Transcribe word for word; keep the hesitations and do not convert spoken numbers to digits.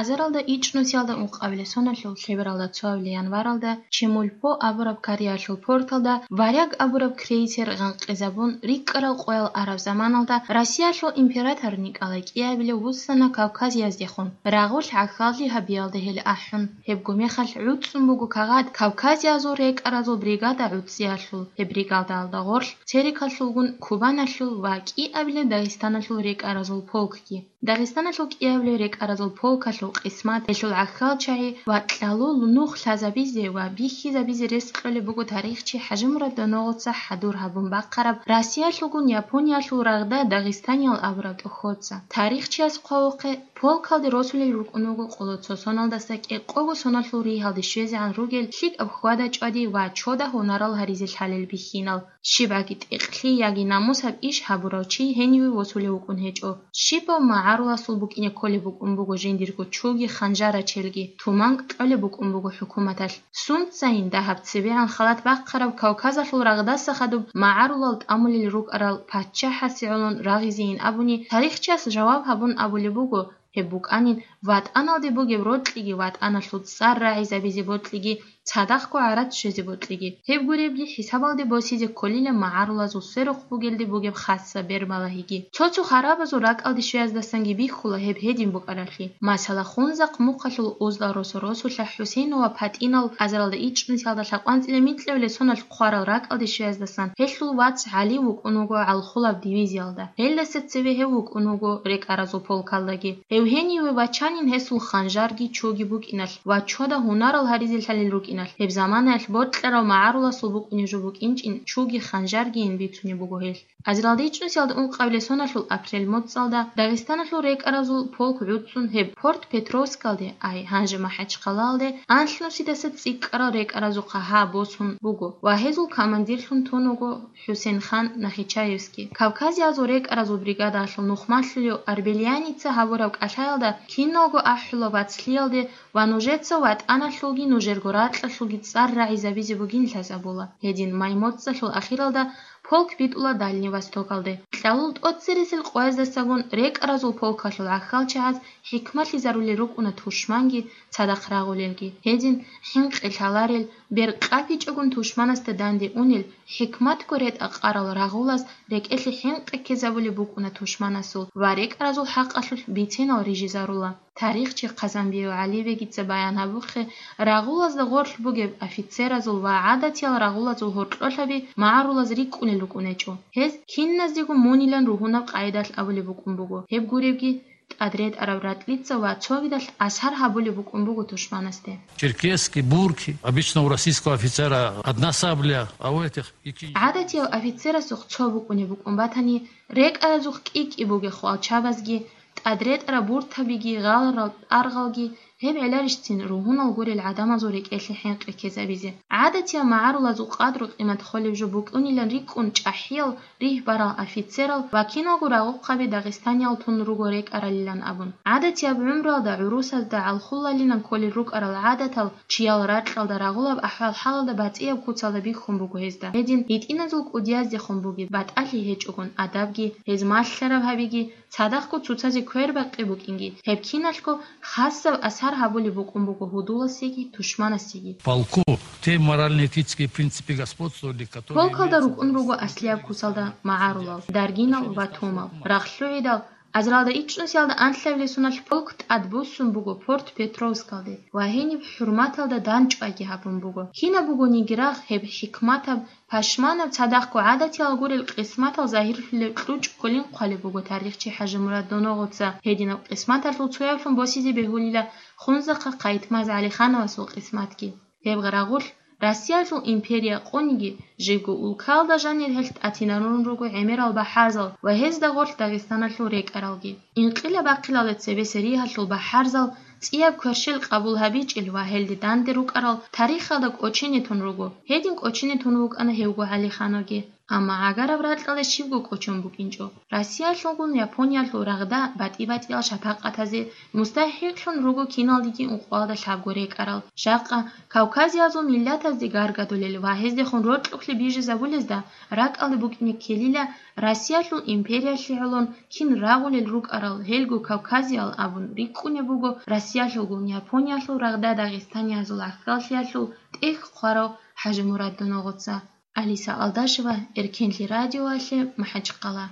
Азаралда ичӀнусиялда ункъабилеб соналъул лъебералда цоабилеб январалда Чемульпо абураб кореялъул порталда «Варяг» абураб крейсер гъанкъизабун, рикӀкӀарал къоял араб заманалда Россиялъул император Николай кӀиабилев вуссана Кавказияздехун, рагъулъ гӀахьаллъи гьабиялда гьел ахӀун. Гьебго мехалъ гӀуцӀцӀун буго кагъат Кавказиязул рекӀаразул бригада гӀуцӀиялъул, гьеб бригадалда гъорлъ Терекалъулгун Кубаналъул ва кӀиабилеб Дагъистаналъул рекӀаразул полкги. Дагъистаналъул кӀиабилеб рекӀаразул полкалъул къисмат, гьелъул гӀахьалчагӀи ва кьалул нух лъазабизе ва бихьизабизе рес кьолеб буго тарихчи ХӀажимурад Доногъоца хӀадур гьабун бахъараб Россиялъулгун Япониялъул рагъда Дагъистаниял абураб тӀохьоца. Тарихчияс хъвавухъе, полкалде росулел рукӀун вуго къоло цо соналдаса кӀикъого соналъул ригьалде щвезегӀан ругел лъикӀаб хьвада-чӀвади ва чода гьунарал гьаризе лъалел бихьинал. ЩибгӀаги тӀекълъи яги намусаб иш гьабурав чи гьениве восулев вукӀун гьечӀо. Щибав магӀаруласул букӀине кколеб букӀун буго жиндирго чуги ханжарачелги, туманкӀ кьолеб букӀун буго хӀукуматалъ. Сунцайин дагьаб цебегӀан халат бахъараб Кавказалъул рагъдаса хадуб магӀарулал тӀамулел рукӀарал паччахӀасе гӀолон рагъизейин абуни, тарихчияс жаваб гьабун абулеб буго, гьеб букӀанин ватӀаналде бугеб рокьиги ватӀаналъул цӀар рагӀизабизе бокьиги, цадахъго гӀарат щвезе бокьиги. Гьеб гуребги хӀисабалде босизе кколила магӀарулазул сверухъ бугелде бугеб хасса бербалагьиги. Цо-цо харабазул ракӀалде щвеяздасанги бихьула гьеб гьедин букӀаралъи. Масала, Хунзахъ мухъалъул Узлал росо-росулъа ХӀусейнова ПатӀинал азаралда ичӀнусиялда лъабкъанцӀила микьабилеб соналъ хъварал ракӀалде щвеяздасан гьелъул вац ГӀали вукӀун вуго гӀалхулаб дивизиялда. Гьелдаса цеве гьев вукӀун вуго рекӀаразул полкалдаги. Гьев гьениве вачанин гьесул ханжарги чуги букӀиналъ ва чода гьунарал гьаризе лъалел рукӀиналъ, гьеб заманаялъ бокьарав магӀаруласул букӀунеб жо букӀинчӀин чуги ханжаргийин бицунеб буго гьелъ. Азаралда ичӀнусиялда ункъабилеб соналъул апрель моцӀалда Дагъистаналъул рекӀаразул полк гӀуцӀцӀун гьеб Порт Петровскалде, ай, гьанже МахӀачхъалаялде, анлънусидаса цӀикӀкӀарал рекӀаразухъа гьа босун буго ва гьезул командирлъун тун вуго ХӀусейнхан Нахичаевский. Кавказиязул рекӀаразул бригадалъул нухмалъулев Арбелияница гьабураб кӀалъаялда киналго ахӀула вацлъиялде ва нужеца ватӀаналъулги нужерго ракьалъулги цӀар рагӀизабизе бугин лъазабула. Гьедин май моцӀалъул ахиралда полк битӀула Дальний Востокалде. Кьалул тӀоцересел къояздасагун рекӀаразул полкалъул гӀахьалчагӀаз хӀикмалъизарулел рукӀуна тушманги цадахъ рагъулелги. Гьедин хӀинкъи лъаларел, бер къапичӀогун тушманасда данде унел, хӀикматго ретӀа-къарал рагъулаз рекӀелъе хӀинкъи ккезабулеб букӀуна тушманасул ва рекӀаразул хӀакъалъулъ бицинал рижизарула. Тарихчи Хъазанбиев ГӀалибегица баян гьабухъе, рагъулазда гъорлъ бугеб офицеразул ва гӀадатиял рагъулазул гьоркьолъаби магӀарулаз рикӀкӀунел рукӀунечӀо. Гьез киназдего мунилан ругьунаб къайдалъ абулеб букӀун буго. Гьеб гуребги, тӀадретӀараб ратӀлица ва цогидалъ асар гьабулеб букӀун буго тушманасде. Черкески, бурки, обычно у российского офицера одна сабля, а у этих и кинжал. ГӀадатияв офицерасухъ цо букӀунеб букӀун батани, рекӀаразухъ кӀи-кӀи бугехъу алчабазги, тӀадретӀараб буртабиги, гъаларал тӀаргъалги, гьеб гӀеларищцин ругьунал гурел гӀадамазул рекӀелъе хӀинкъи ккезабизе. ГӀадатияв магӀарулазул къадру-къимат холев жо букӀунилан рикӀкӀун чӀахӀиял ригь барал офицерал ва киналго рагъухъаби дагъистаниял тун руго рекӀаралилан абун. ГӀадатияб гӀумруялда гӀурусазда гӀалхулалилан кколел рукӀарал гӀадатал чиял ракьалда рагъулаб ахӀвал-хӀалалда батӀияб куцалда бихьун буго гьезда. Гьедин гьитӀиназул кӀудияздехун бугеб батӀалъи гьечӀогун адабги, гьез малъараб гьабиги, цадахъго цоцазе квербакъи букӀинги, гьеб киналъго хасаб асар гьабулеб букӀун буго гьудуласеги тушманасеги. Полку те морально-этические принципы господствовали, которые... Полкалда имеются рукӀун в руго России. Аслияб кусалда магӀарулал, даргинал ва томал. РагълъугӀидал, азаралда ичӀнусиялда анлъабилеб соналъ полк тӀадбуссун буго Порт Петровскалде ва гьениб хӀурматалда дандчӀвайги гьабун буго. Кинаб бугониги рагъ гьеб хӀикматаб, пашманаб, цадахъго гӀадатиял гурел къисматал загьирлъулеб кьучӀ кколин хъвалеб буго тарихчи ХӀажимурад Доногъоца. Гьединаб къисматалъул цояблъун босизе бегьулила Хунзахъа Хъайтмаз ГӀалихановасул къисматги. Гьеб гъарагъулъ Россиялъул империя къониги, живго улкалда жанир гьелъ тӀатинарун руго гӀемерал бахӀарзал ва гьезда гъорлъ Дагъистаналъул рекӀаралги. Инкъилаб бахъилалде цебе Сириялъул бахӀарзал цӀияб кверщел къабул гьабичӀел ва гьелде данде рукӀарал тарихалда кӀочене тун руго. Гьедин кӀочене тун вукӀана гьевго ГӀалихановги. Амма гӀагараб ракьалда щибго кӀочон букӀинчӀо. Россиялъулгун Япониялъул рагъда батӀи-батӀиял шапакъатазе мустахӀикълъун руго киналдеги ункъоялда лъабго рекӀарал. Жакъа Кавказиязул миллатазде гаргадулел ва гьездехун рокьухълъи бижизабулезда ракӀалде букӀине ккелила Россиялъул империялъе гӀолон кин рагъулел рукӀарал гьелго Кавказиял абун рикӀкӀунеб буго Россия. Ялъугун Япониялъул рагъда дагъистаниязул гӀахьаллъиялъул тӀехь хъварав ХӀажимурад Доногъоца. Алиса Алдашева, Эркенлъи радиоялъе, МахӀачхъала.